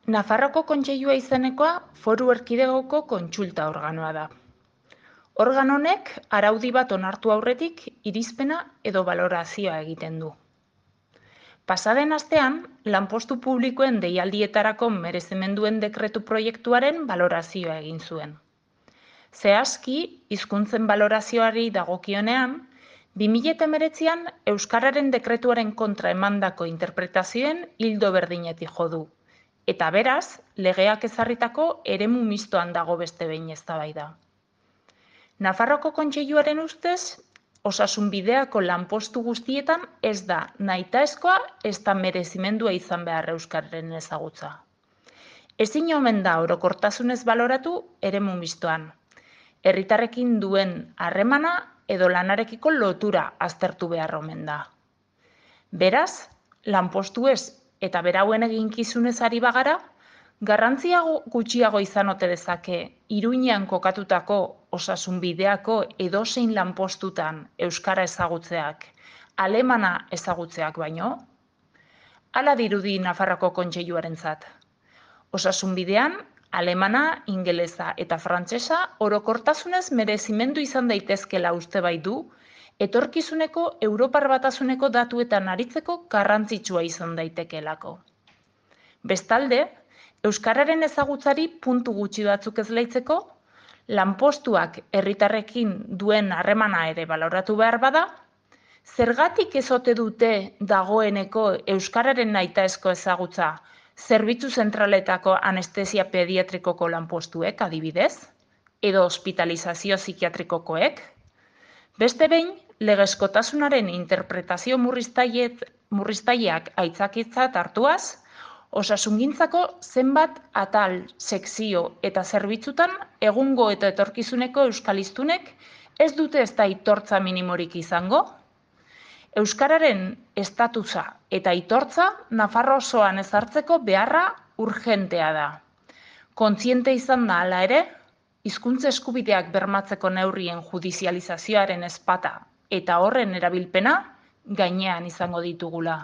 Nafarroako Kontseilua izenekoa Foru Erkidegoko kontsulta organoa da. Organo honek araudi bat onartu aurretik irizpena edo balorazioa egiten du. Pasaden astean, lanpostu publikoen deialdietarako merezimenduen dekretu proiektuaren balorazioa egin zuen. Zehazki, hizkuntzen balorazioari dagokionean, 2019an Euskararen dekretuaren kontra emandako interpretazioen ildo berdinetik jo du. Eta beraz, legeak ezarritako eremu mistoan dago beste behin eztabaida. Nafarroako Kontseiluaren ustez, osasunbideako lanpostu guztietan ez da nahitaezkoa ezta merezimendua izan behar euskararen ezagutza. Ezin omen da orokortasunez baloratu eremu mistoan. Herritarrekin duen harremana edo lanarekiko lotura aztertu behar omen da. Beraz, lanpostuez eta berauen eginkizunez ari bagara, garrantzia gutxiago izan ote dezake Iruñean kokatutako osasunbideako edozein lanpostutan euskara ezagutzeak, alemana ezagutzeak baino? Hala dirudi Nafarroako Kontseiluarentzat. Osasunbidean, alemana, ingelesa eta frantsesa orokortasunez merezimendu izan daitezkela uste baitu, etorkizuneko Europar Batasuneko datuetan aritzeko garrantzitsua izan daitekeelako. Bestalde, euskararen ezagutzari puntu gutxi batzuk ezleitzeko, lanpostuak herritarrekin duen harremana ere baloratu behar bada, zergatik ez ote dute dagoeneko euskararen nahitaezko ezagutza zerbitzu zentraletako anestesia pediatrikoko lanpostuek adibidez, edo hospitalizazio psikiatrikokoek? Beste behin, legezkotasunaren interpretazio murriztaileak aitzakiatzat hartuaz, osasungintzako zenbat atal, sekzio eta zerbitzutan egungo eta etorkizuneko euskal hiztunek ez dute ezta aitortza minimorik izango? Euskararen estatusa eta aitortza Nafarro osoan ezartzeko beharra urgentea da. Kontziente izan da hala ere, hizkuntza eskubideak bermatzeko neurrien judizializazioaren ezpata eta horren erabilpena gainean izango ditugula.